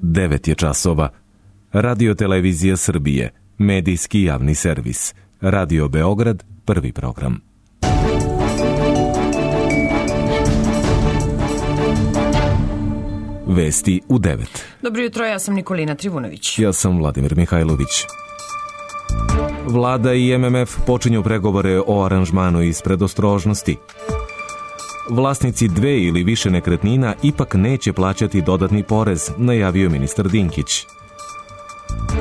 9 je časova. Radio Televizija Srbije, medijski javni servis. Radio Beograd, prvi program. Vesti u 9. Dobro jutro, ja sam Nikolina Trivunović. Ja sam Vladimir Mihajlović. Vlada i MMF počinju pregovore o aranžmanu iz predostrožnosti. Vlasnici 2 ili više nekretnina ipak neće plaćati dodatni porez, najavio ministar Dinkić.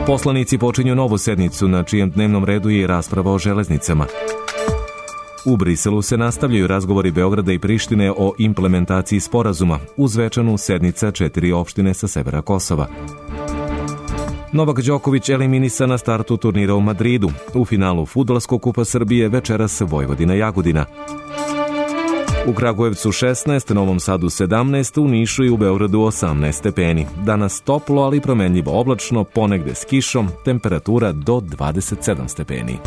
Poslanici počinju novu sednicu na čijem dnevnom redu je rasprava o železnicama. U Briselu se nastavljaju razgovori Beograda i Prištine o implementaciji sporazuma, uz večanu sednica 4 opštine sa severa Kosova. Novak Đoković eliminisan na startu turnira u Madridu. U finalu Fudbalskog kupa Srbije večeras Vojvodina-Jagodina. U Kragujevcu 16, Novom Sadu 17, u Nišu i u Beogradu 18 stepeni. Danas toplo, ali promenljivo oblačno, ponegde s kišom, temperatura do 27 stepeni.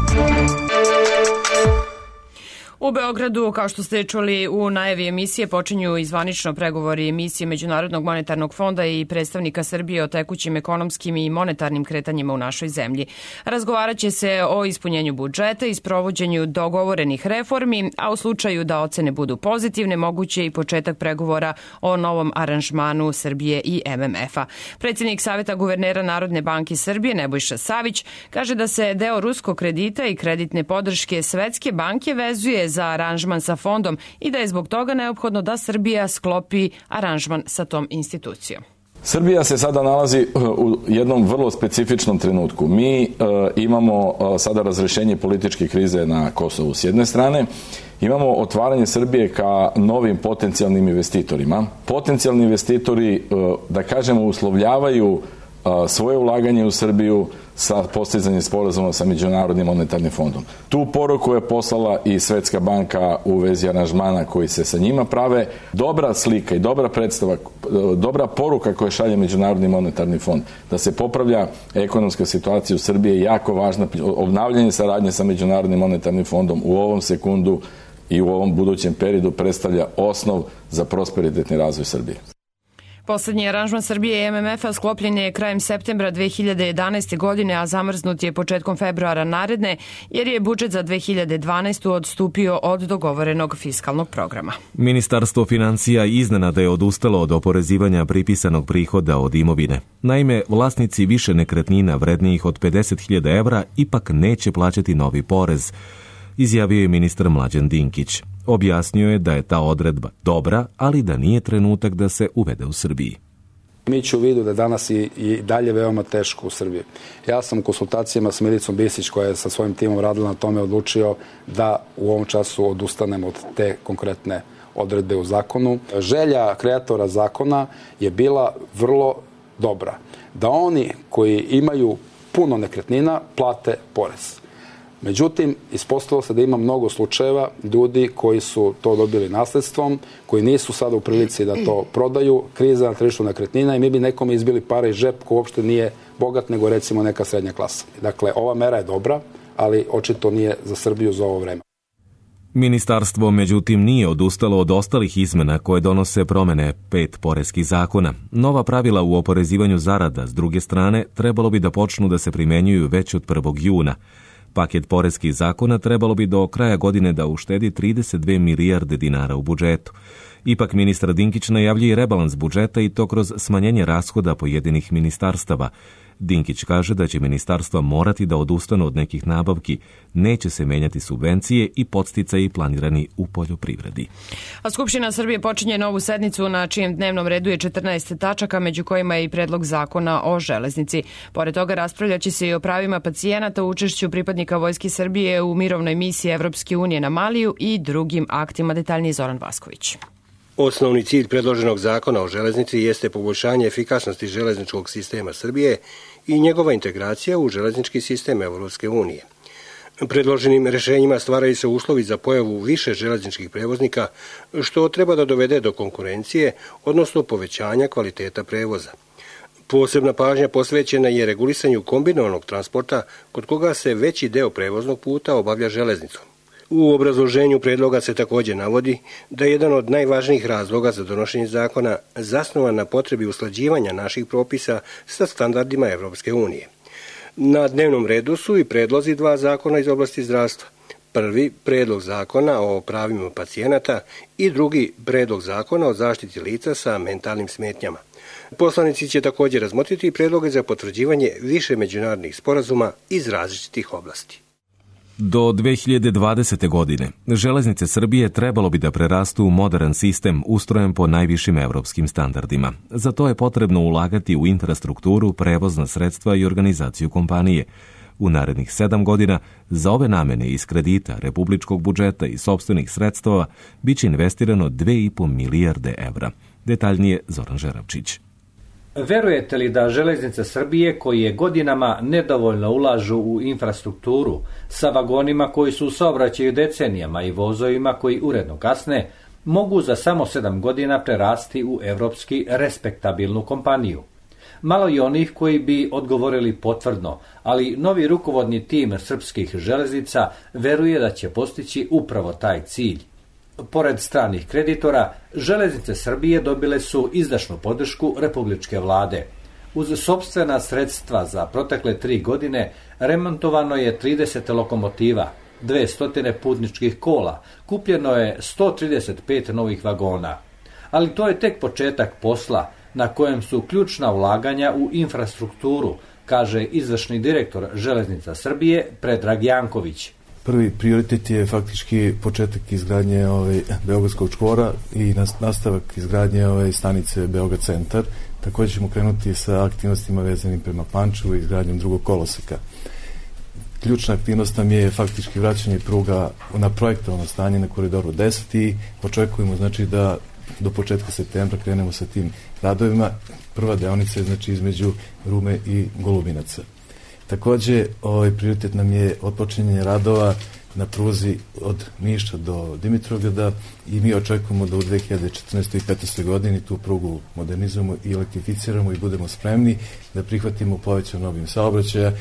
U Beogradu, kao što ste čuli u najavi emisije, počinju i zvanično pregovori emisije Međunarodnog monetarnog fonda i predstavnika Srbije o tekućim ekonomskim i monetarnim kretanjima u našoj zemlji. Razgovarat će se o ispunjenju budžeta i sprovođenju dogovorenih reformi, a u slučaju da ocene budu pozitivne, moguće i početak pregovora o novom aranžmanu Srbije i MMF-a. Predsjednik Saveta guvernera Narodne banke Srbije, Nebojša Savić, kaže da se deo ruskog kredita i kreditne podrške Svetske banke vezuje za aranžman sa fondom i da je zbog toga neophodno da Srbija sklopi aranžman sa tom institucijom. Srbija se sada nalazi u jednom vrlo specifičnom trenutku. Mi imamo sada razrešenje političke krize na Kosovu s jedne strane, imamo otvaranje Srbije ka novim potencijalnim investitorima. Potencijalni investitori, da kažemo, uslovljavaju svoje ulaganje u Srbiju sa postizanjem sporazuma sa Međunarodnim monetarnim fondom. Tu poruku je poslala i Svetska banka u vezi aranžmana koji se sa njima prave. Dobra slika i dobra predstava, dobra poruka koja šalje Međunarodni monetarni fond da se popravlja ekonomska situacija u Srbiji je jako važna. Obnavljanje saradnje sa Međunarodnim monetarnim fondom u ovom sekundu i u ovom budućem periodu predstavlja osnov za prosperitetni razvoj Srbije. Poslednji aranžman Srbije i MMF-a sklopljen je krajem septembra 2011. godine, a zamrznut je početkom februara naredne, jer je budžet za 2012. odstupio od dogovorenog fiskalnog programa. Ministarstvo financija iznenada je odustalo od oporezivanja pripisanog prihoda od imovine. Naime, vlasnici više nekretnina vrednijih od 50.000 evra ipak neće plaćati novi porez, izjavio je ministar Mlađan Dinkić. Objasnio je da je ta odredba dobra, ali da nije trenutak da se uvede u Srbiji. Imajući u vidu da je danas i dalje veoma teško u Srbiji. Ja sam u konsultacijama s Milicom Bisić, koja je sa svojim timom radila na tome, odlučio da u ovom času odustanem od te konkretne odredbe u zakonu. Želja kreatora zakona je bila vrlo dobra. Da oni koji imaju puno nekretnina plate porez. Međutim, ispostavilo se da ima mnogo slučajeva ljudi koji su to dobili nasledstvom, koji nisu sada u prilici da to prodaju, kriza na tržištu nekretnina i mi bi nekome izbili pare iz džep ko uopšte nije bogat, nego recimo neka srednja klasa. Dakle, ova mera je dobra, ali očito nije za Srbiju za ovo vreme. Ministarstvo, međutim, nije odustalo od ostalih izmena koje donose promene 5 poreskih zakona. Nova pravila u oporezivanju zarada, s druge strane, trebalo bi da počnu da se primenjuju već od 1. juna. Paket poreskih zakona trebalo bi do kraja godine da uštedi 32 milijarde dinara u budžetu. Ipak ministar Dinkić najavljuje rebalans budžeta i to kroz smanjenje rashoda pojedinih ministarstava. Dinkić kaže da će ministarstva morati da odustanu od nekih nabavki, neće se menjati subvencije i podsticaji planirani u poljoprivredi. A Skupština Srbije počinje novu sednicu na čijem dnevnom redu je 14 tačaka, među kojima je i predlog zakona o železnici. Pored toga raspravljaće se i o pravima pacijenata, učešću pripadnika Vojske Srbije u mirovnoj misiji Evropske unije na Maliju i drugim aktima. Detaljniji Zoran Vasković. Osnovni cilj predloženog zakona o železnici jeste poboljšanje efikasnosti železničkog sistema Srbije i njegova integracija u železnički sistem Evropske unije. Predloženim rešenjima stvaraju se uslovi za pojavu više železničkih prevoznika, što treba da dovede do konkurencije, odnosno povećanja kvaliteta prevoza. Posebna pažnja posvećena je regulisanju kombinovanog transporta, kod koga se veći deo prevoznog puta obavlja železnicom. U obrazloženju predloga se također navodi da je jedan od najvažnijih razloga za donošenje zakona zasnovan na potrebi usklađivanja naših propisa sa standardima Evropske unije. Na dnevnom redu su i predlozi dva zakona iz oblasti zdravstva. Prvi, predlog zakona o pravima pacijenata i drugi, predlog zakona o zaštiti lica sa mentalnim smetnjama. Poslanici će također razmotriti predloge za potvrđivanje više međunarodnih sporazuma iz različitih oblasti. Do 2020. godine Železnice Srbije trebalo bi da prerastu u modern sistem ustrojen po najvišim evropskim standardima. Za to je potrebno ulagati u infrastrukturu, prevozna sredstva i organizaciju kompanije. U narednih 7 godina za ove namene iz kredita, republičkog budžeta i sopstvenih sredstava biće investirano 2,5 milijarde evra. Detaljnije Zoran Žeravčić. Verujete li da Železnice Srbije, koje godinama nedovoljno ulažu u infrastrukturu, sa vagonima koji su u saobraćaju decenijama i vozovima koji uredno kasne, mogu za samo 7 godina prerasti u evropski respektabilnu kompaniju? Malo je onih koji bi odgovorili potvrdno, ali novi rukovodni tim srpskih železnica veruje da će postići upravo taj cilj. Pored stranih kreditora, Železnice Srbije dobile su izdašnu podršku republičke vlade. Uz sopstvena sredstva za protekle 3 godine remontovano je 30 lokomotiva, 200 putničkih kola, kupljeno je 135 novih vagona. Ali to je tek početak posla, na kojem su ključna ulaganja u infrastrukturu, kaže izvršni direktor Železnica Srbije Predrag Janković. Prvi prioritet je faktički početak izgradnje Beogradskog čvora i nastavak izgradnje stanice Beograd centar. Također ćemo krenuti sa aktivnostima vezanim prema Pančevu i izgradnjom drugog koloseka. Ključna aktivnost nam je faktički vraćanje pruga na projektovano stanje na koridoru 10 i očekujemo da do početka septembra krenemo sa tim radovima. Prva deonica je između Rume i Golubinaca. Također, prioritet nam je otpočinjanje radova na pruzi od Niša do Dimitrovgrada i mi očekujemo da u 2014. i 2015. godini tu prugu modernizujemo i elektrificiramo i budemo spremni da prihvatimo povećan obim saobraćaja.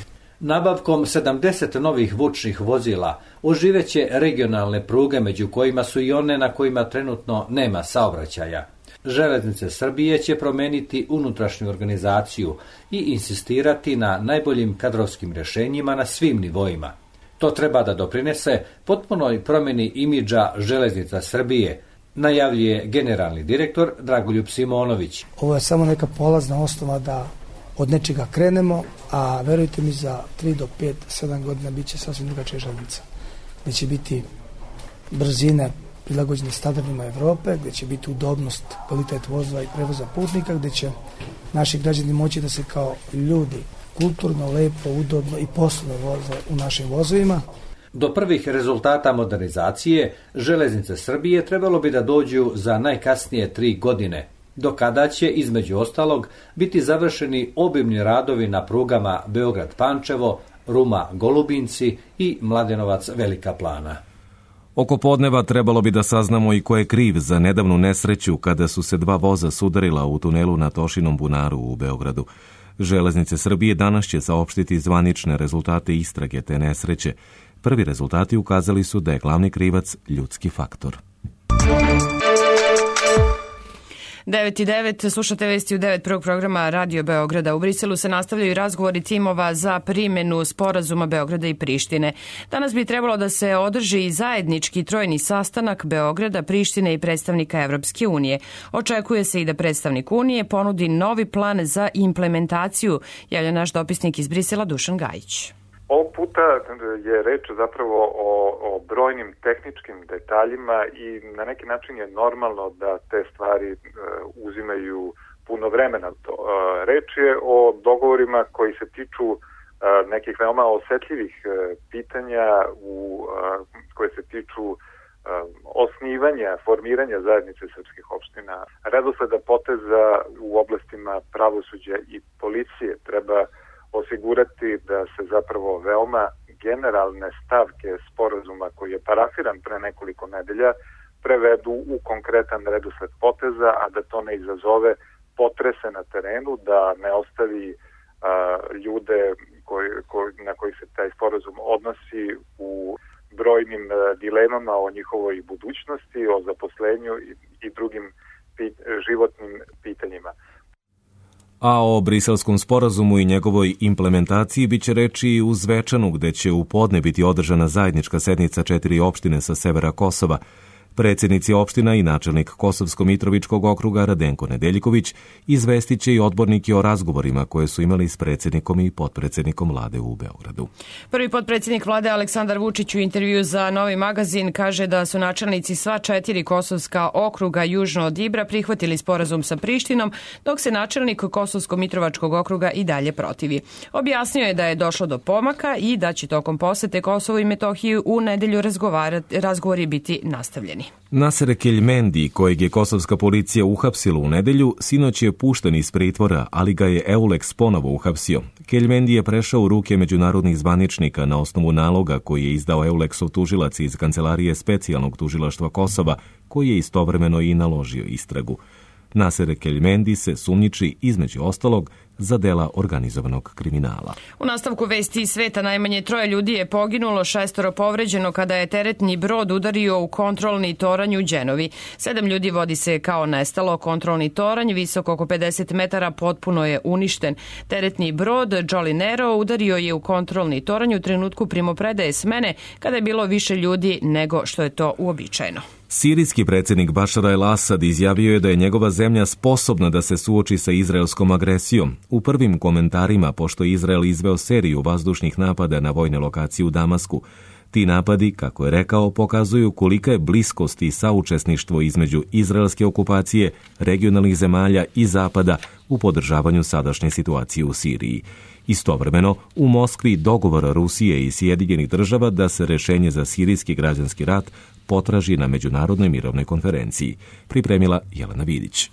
Nabavkom 70 novih vučnih vozila oživeće regionalne pruge, među kojima su i one na kojima trenutno nema saobraćaja. Železnice Srbije će promeniti unutrašnju organizaciju i insistirati na najboljim kadrovskim rješenjima na svim nivoima. To treba da doprinese potpunoj promjeni imidža Železnica Srbije, najavljuje generalni direktor Dragoljub Simonović. Ovo je samo neka polazna osnova da od nečega krenemo, a verujte mi za 3 do 5, 7 godina bit će sasvim drugačija železnica. Gde će biti brzine prilagođene standardima Evrope, gde će biti udobnost, kvalitet vozova i prevoza putnika, gde će naši građani moći da se kao ljudi kulturno, lepo, udobno i poslovno voze u našim vozovima. Do prvih rezultata modernizacije Železnice Srbije trebalo bi da dođu za najkasnije 3 godine, do kada će, između ostalog, biti završeni obimni radovi na prugama Beograd-Pančevo, Ruma-Golubinci i Mladenovac-Velika Plana. Oko podneva trebalo bi da saznamo i ko je kriv za nedavnu nesreću kada su se 2 voza sudarila u tunelu na Tošinom bunaru u Beogradu. Železnice Srbije danas će saopštiti zvanične rezultate istrage te nesreće. Prvi rezultati ukazali su da je glavni krivac ljudski faktor. 9:09, slušate vesti u 9 prvog programa Radio Beograda. U Briselu se nastavljaju razgovori timova za primjenu sporazuma Beograda i Prištine. Danas bi trebalo da se održi zajednički trojni sastanak Beograda, Prištine i predstavnika Evropske unije. Očekuje se i da predstavnik Unije ponudi novi plan za implementaciju, javlja naš dopisnik iz Brisela Dušan Gajić. Ovog puta je reč zapravo o brojnim tehničkim detaljima i na neki način je normalno da te stvari uzimaju puno vremena. Reč je o dogovorima koji se tiču nekih veoma osetljivih pitanja koje se tiču osnivanja, formiranja zajednice srpskih opština. Redosleda poteza u oblastima pravosuđa i policije treba osigurati da se zapravo veoma generalne stavke sporazuma koji je parafiran pre nekoliko nedelja prevedu u konkretan redosled poteza, a da to ne izazove potrese na terenu, da ne ostavi ljude na koji se taj sporazum odnosi u brojnim dilemama o njihovoj budućnosti, o zaposlenju i drugim životnim pitanjima. A o Briselskom sporazumu i njegovoj implementaciji biće reči i u Zvečanu, gde će u podne biti održana zajednička sednica 4 opštine sa severa Kosova. Predsjednici opština i načelnik Kosovsko-Mitrovičkog okruga Radenko Nedeljković izvestit će i odbornike o razgovorima koje su imali s predsjednikom i potpredsjednikom vlade u Beogradu. Prvi potpredsjednik vlade Aleksandar Vučić u intervju za Novi magazin kaže da su načelnici sva 4 kosovska okruga južno od Ibra prihvatili sporazum sa Prištinom, dok se načelnik Kosovsko-Mitrovačkog okruga i dalje protivi. Objasnio je da je došlo do pomaka i da će tokom posete Kosovu i Metohiji u nedelju razgovori biti nastavljeni. Naser Keljmendi, kojeg je kosovska policija uhapsila u nedelju, sinoć je pušten iz pritvora, ali ga je EULEX ponovo uhapsio. Keljmendi je prešao u ruke međunarodnih zvaničnika na osnovu naloga koji je izdao EULEX-ov tužilac iz Kancelarije specijalnog tužilaštva Kosova, koji je istovremeno i naložio istragu. Naser Keljmendi se sumnjiči između ostalog za dela organizovanog kriminala. U nastavku vesti iz sveta najmanje 3 ljudi je poginulo, 6 povređeno kada je teretni brod udario u kontrolni toranj u Đenovi. 7 ljudi vodi se kao nestalo. Kontrolni toranj, visok oko 50 metara, potpuno je uništen. Teretni brod Jolly Nero udario je u kontrolni toranj u trenutku primopredaje smene kada je bilo više ljudi nego što je to uobičajeno. Sirijski predsjednik Bašar el-Asad izjavio je da je njegova zemlja sposobna da se suoči sa izraelskom agresijom. U prvim komentarima, pošto je Izrael izveo seriju vazdušnih napada na vojne lokacije u Damasku, ti napadi, kako je rekao, pokazuju kolika je bliskost i saučesništvo između izraelske okupacije, regionalnih zemalja i Zapada u podržavanju sadašnje situacije u Siriji. Istovremeno, u Moskvi dogovor Rusije i Sjedinjenih država da se rešenje za sirijski građanski rat potraži na Međunarodnoj mirovnoj konferenciji, pripremila Jelena Vidić.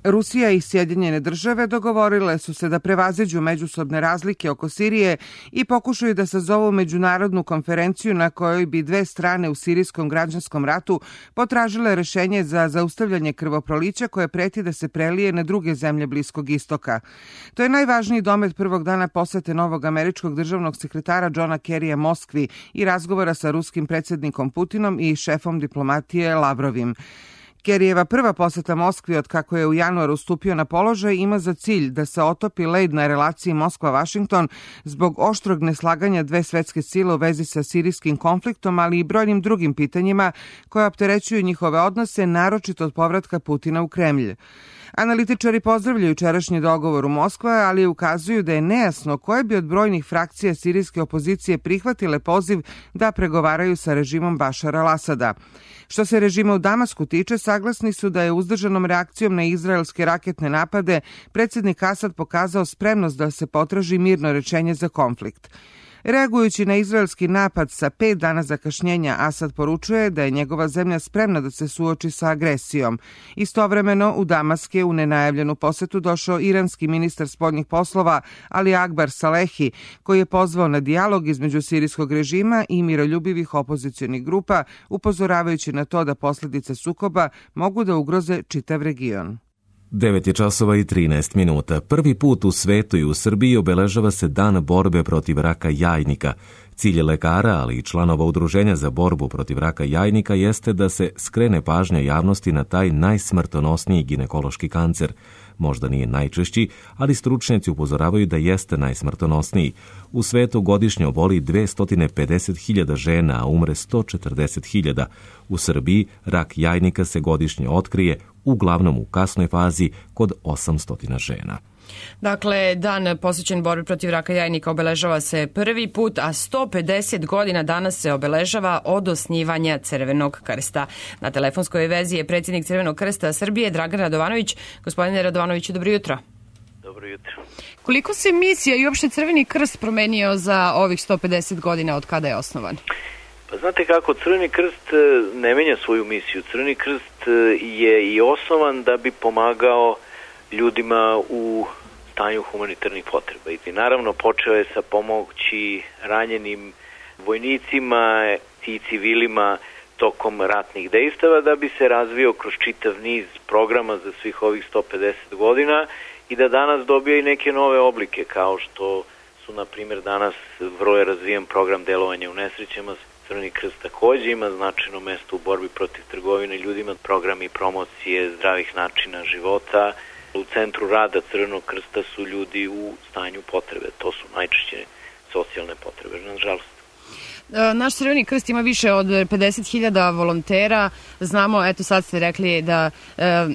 Rusija i Sjedinjene države dogovorile su se da prevaziđu međusobne razlike oko Sirije i pokušaju da sazovu međunarodnu konferenciju na kojoj bi dve strane u sirijskom građanskom ratu potražile rešenje za zaustavljanje krvoprolića koje preti da se prelije na druge zemlje Bliskog istoka. To je najvažniji domet prvog dana posete novog američkog državnog sekretara Johna Kerrya Moskvi i razgovora sa ruskim predsjednikom Putinom i šefom diplomatije Lavrovim. Kerryjeva prva poseta Moskvi od kako je u januaru stupio na položaj ima za cilj da se otopi led na relaciji Moskva-Vašington zbog oštrog neslaganja dve svetske sile u vezi sa sirijskim konfliktom, ali i brojnim drugim pitanjima koje opterećuju njihove odnose, naročito od povratka Putina u Kremlj. Analitičari pozdravljaju jučerašnji dogovor u Moskvi, ali ukazuju da je nejasno koje bi od brojnih frakcija sirijske opozicije prihvatile poziv da pregovaraju sa režimom Bašara al-Asada. Što se režima u Damasku tiče, saglasni su da je uzdržanom reakcijom na izraelske raketne napade predsjednik Asad pokazao spremnost da se potraži mirno rešenje za konflikt. Reagujući na izraelski napad sa 5 dana zakašnjenja, Asad poručuje da je njegova zemlja spremna da se suoči sa agresijom. Istovremeno, u Damask je u nenajavljenu posetu došao iranski ministar spoljnih poslova Ali Akbar Salehi, koji je pozvao na dijalog između sirijskog režima i miroljubivih opozicionih grupa, upozoravajući na to da posljedice sukoba mogu da ugroze čitav region. 9:13. Prvi put u svetu i u Srbiji obeležava se Dan borbe protiv raka jajnika. Cilj lekara, ali i članova Udruženja za borbu protiv raka jajnika jeste da se skrene pažnja javnosti na taj najsmrtonosniji ginekološki kancer. Možda nije najčešći, ali stručnjaci upozoravaju da jeste najsmrtonosniji. U svetu godišnje oboli 250.000 žena, a umre 140.000. U Srbiji rak jajnika se godišnje otkrije, uglavnom u kasnoj fazi, kod 800 žena. Dakle, dan posvećen borbi protiv raka jajnika obeležava se prvi put, a 150 godina danas se obeležava od osnivanja Crvenog krsta. Na telefonskoj vezi je predsjednik Crvenog krsta Srbije, Dragan Radovanović. Gospodine Radovanoviću, dobro jutro. Dobro jutro. Koliko se misija i uopšte Crveni krst promenio za ovih 150 godina od kada je osnovan? Pa znate kako, Crveni krst ne menja svoju misiju. Crveni krst je i osnovan da bi pomagao ljudima u stanju humanitarnih potreba. I naravno počeo je sa pomoći ranjenim vojnicima i civilima tokom ratnih dejstava da bi se razvio kroz čitav niz programa za svih ovih 150 godina i da danas dobije i neke nove oblike, kao što su, na primjer, danas vrlo je razvijen program delovanja u nesrećama. Crveni krst takođe ima značajno mesto u borbi protiv trgovine ljudima, programi promocije zdravih načina života. U centru rada Crvenog krsta su ljudi u stanju potrebe, to su najčešće socijalne potrebe, nažalost. Naš Crveni krst ima više od 50.000 volontera. Znamo, eto sad ste rekli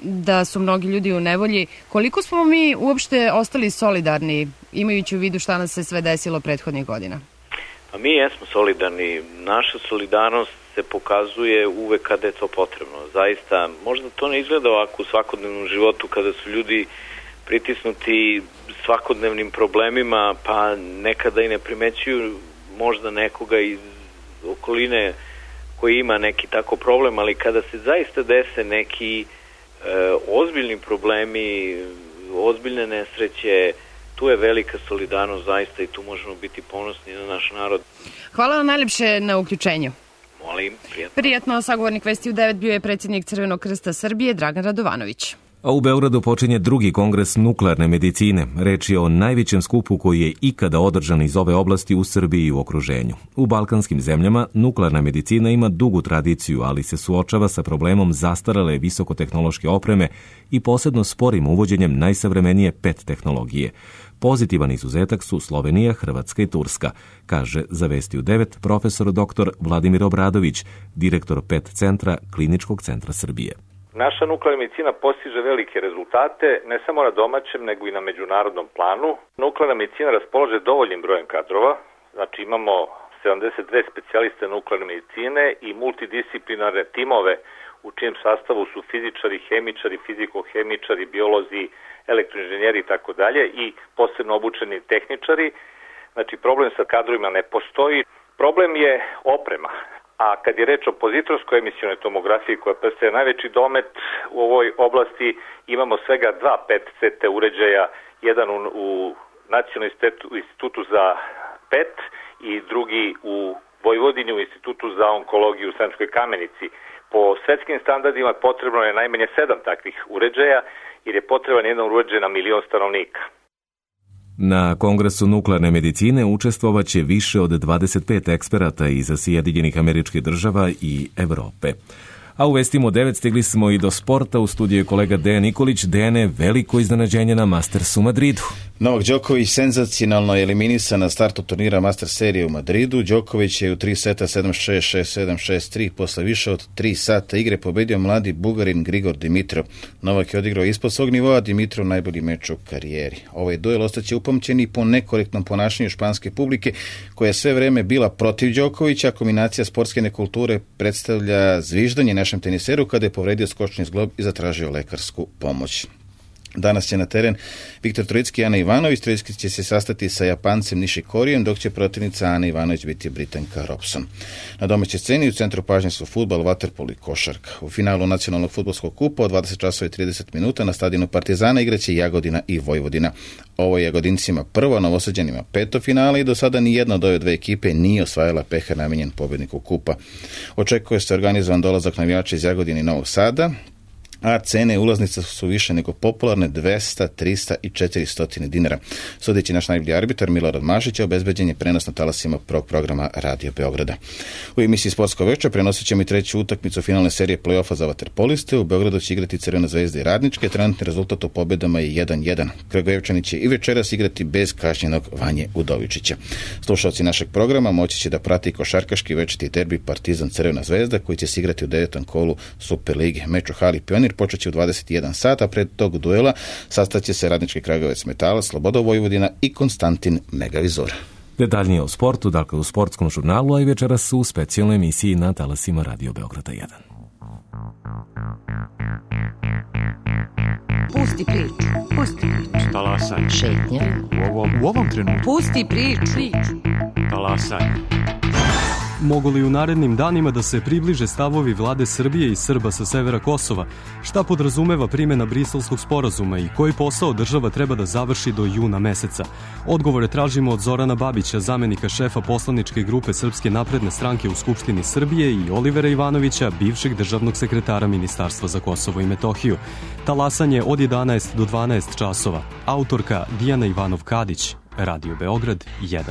da su mnogi ljudi u nevolji. Koliko smo mi uopšte ostali solidarni, imajući u vidu šta nas se sve desilo prethodnih godina? Pa mi jesmo solidarni. Naša solidarnost se pokazuje uvek kada je to potrebno. Zaista, možda to ne izgleda ovako u svakodnevnom životu kada su ljudi pritisnuti svakodnevnim problemima, pa nekada i ne primećuju možda nekoga iz okoline koji ima neki tako problem, ali kada se zaista dese neki ozbiljni problemi, ozbiljne nesreće, tu je velika solidarnost zaista i tu možemo biti ponosni na naš narod. Hvala vam najlepše na uključenju. Molim, prijatno. Prijetno, sagovornik Vesti u 9 bio je predsjednik Crvenog krsta Srbije Dragan Radovanović. A u Beogradu počinje drugi kongres nuklearne medicine. Reč je o najvećem skupu koji je ikada održan iz ove oblasti u Srbiji i u okruženju. U balkanskim zemljama nuklearna medicina ima dugu tradiciju, ali se suočava sa problemom zastarale visokotehnološke opreme i posebno sporim uvođenjem najsavremenije PET tehnologije. Pozitivan izuzetak su Slovenija, Hrvatska i Turska, kaže za Vesti u 9 profesor dr. Vladimir Obradović, direktor PET centra Kliničkog centra Srbije. Naša nuklearna medicina postiže velike rezultate, ne samo na domaćem, nego i na međunarodnom planu. Nuklearna medicina raspolaže dovoljnim brojem kadrova, znači imamo 72 specijaliste nuklearne medicine i multidisciplinarne timove u čijem sastavu su fizičari, hemičari, fizikohemičari, biolozi, elektroinženjeri i tako dalje i posebno obučeni tehničari. Znači problem sa kadrovima ne postoji. Problem je oprema. A kad je reč o pozitorskoj emisionoj tomografiji koja predstavlja najveći domet u ovoj oblasti, imamo svega 2 PET CT uređaja, jedan u Nacionalnom institutu za PET i drugi u Vojvodini u Institutu za onkologiju u Sremskoj Kamenici. Po svetskim standardima potrebno je najmanje 7 takvih uređaja jer je potreban jedan uređaj na 1 milion stanovnika. Na Kongresu nuklearne medicine učestvovaće više od 25 eksperata iz Sjedinjenih Američkih Država i Evrope. A u Vestima 9 stigli smo i do sporta. U studiju je kolega Dejan Nikolić. Dejane, veliko iznenađenje na Mastersu u Madridu. Novak Đoković senzacionalno eliminisan na startu turnira Master serije u Madridu. Đoković je u 3 seta 7-6, 6-7, 6-3 posle više od 3 sata igre pobedio mladi Bugarin Grigor Dimitrov. Novak je odigrao ispod svog nivoa, Dimitrov najbolji meč u karijeri. Ovaj duel ostaće upamćen i po nekorektnom ponašanju španske publike koja je sve vreme bila protiv Đokovića. Kombinacija sportske nekulture predstavlja zviždanje našem teniseru kada je povredio skočni zglob i zatražio lekarsku pomoć. Danas će na teren Viktor Trojicki i Ana Ivanović. Trojicki će se sastati sa Japancem Nishikorijem, dok će protivnica Ana Ivanović biti Britanka Robson. Na domaćoj sceni u centru pažnje su fudbal, vaterpolo i košarka. U finalu nacionalnog fudbalskog kupa od 20:30 na stadionu Partizana igraće Jagodina i Vojvodina. Ovo je Jagodincima prvo, Novosađanima peto finale i do sada ni jedna od ove dve ekipe nije osvajala pehar namenjen pobedniku kupa. Očekuje se organizovan dolazak navijača iz Jagodine i Novog Sada, a cene ulaznica su više nego popularne, 200, 300 i 400 dinara. Sudeći naš najbolji arbitar Milorad Mašić, obezbeđen je prenos na talasima prvog programa Radio Beograda. U emisiji Sportsko veče prenosit ćemo i treću utakmicu finalne serije play-offa za vaterpoliste. U Beogradu će igrati Crvena zvezda i Radničke. Trenutni rezultat u pobedama je 1-1. Kragujevčani će i večeras igrati bez kažnjenog Vanje Udovičića. Slušalci našeg programa moći će da prati košarkaški večiti derbi Partizan Crvena zvezda koji će se igrati u 9. kolu Super lige. Meč u hali Pionir počeće u 21 sat, a pred tog duela sastaće se Radnički Kragujevac Metalac, Sloboda Vojvodina i Konstantin Megavizor. Detaljnije o sportu, dakle u sportskom žurnalu, a i večeras u specijalnoj emisiji na talasima Radio Beograda 1. Pusti priču. Pusti priču. Talasaj. Šetnja. U ovom trenutku. Pusti priču. Talasaj. Mogu li u narednim danima da se približe stavovi vlade Srbije i Srba sa severa Kosova? Šta podrazumeva primjena Briselskog sporazuma i koji posao država treba da završi do juna meseca? Odgovore tražimo od Zorana Babića, zamenika šefa poslaničke grupe Srpske napredne stranke u Skupštini Srbije, i Olivera Ivanovića, bivšeg državnog sekretara Ministarstva za Kosovo i Metohiju. Talasanje od 11 do 12 časova. Autorka Dijana Ivanov-Kadić. Radio Beograd 1.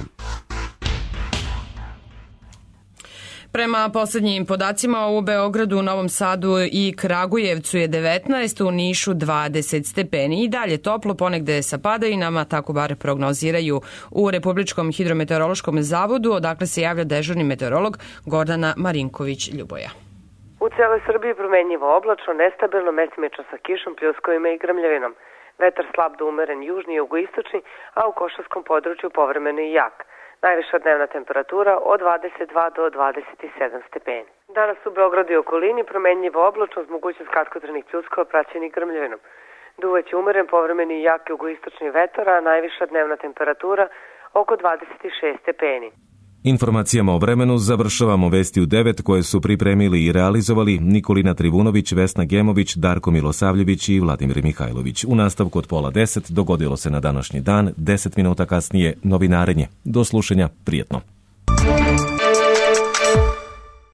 Prema poslednjim podacima u Beogradu, Novom Sadu i Kragujevcu je 19, u Nišu 20 stepeni. I dalje toplo, ponegde sa padajinama, tako bar prognoziraju u Republičkom hidrometeorološkom zavodu, odakle se javlja dežurni meteorolog Gordana Marinković-Ljuboja. U celoj Srbiji promenljivo oblačno, nestabilno, mestimično sa kišom, pljuskovima i grmljavinom. Vetar slab do umeren južni i jugoistočni, a u Košarskom području povremeno i jak. Najviša dnevna temperatura od 22 do 27 stepeni. Danas u Beogradu i okolini promenljivo oblačno uz mogućnost kratkotrajnih pljuskova praćenih grmljavinom. Duvaće umeren, povremeni i jak jugoistočni vetar, a najviša dnevna temperatura oko 26 stepeni. Informacijama o vremenu završavamo vesti u 9 koje su pripremili i realizovali Nikolina Trivunović, Vesna Gemović, Darko Milosavljević i Vladimir Mihajlović. U nastavku od 9:30 dogodilo se na današnji dan, 10 minuta kasnije novinarenje. Do slušanja, prijetno.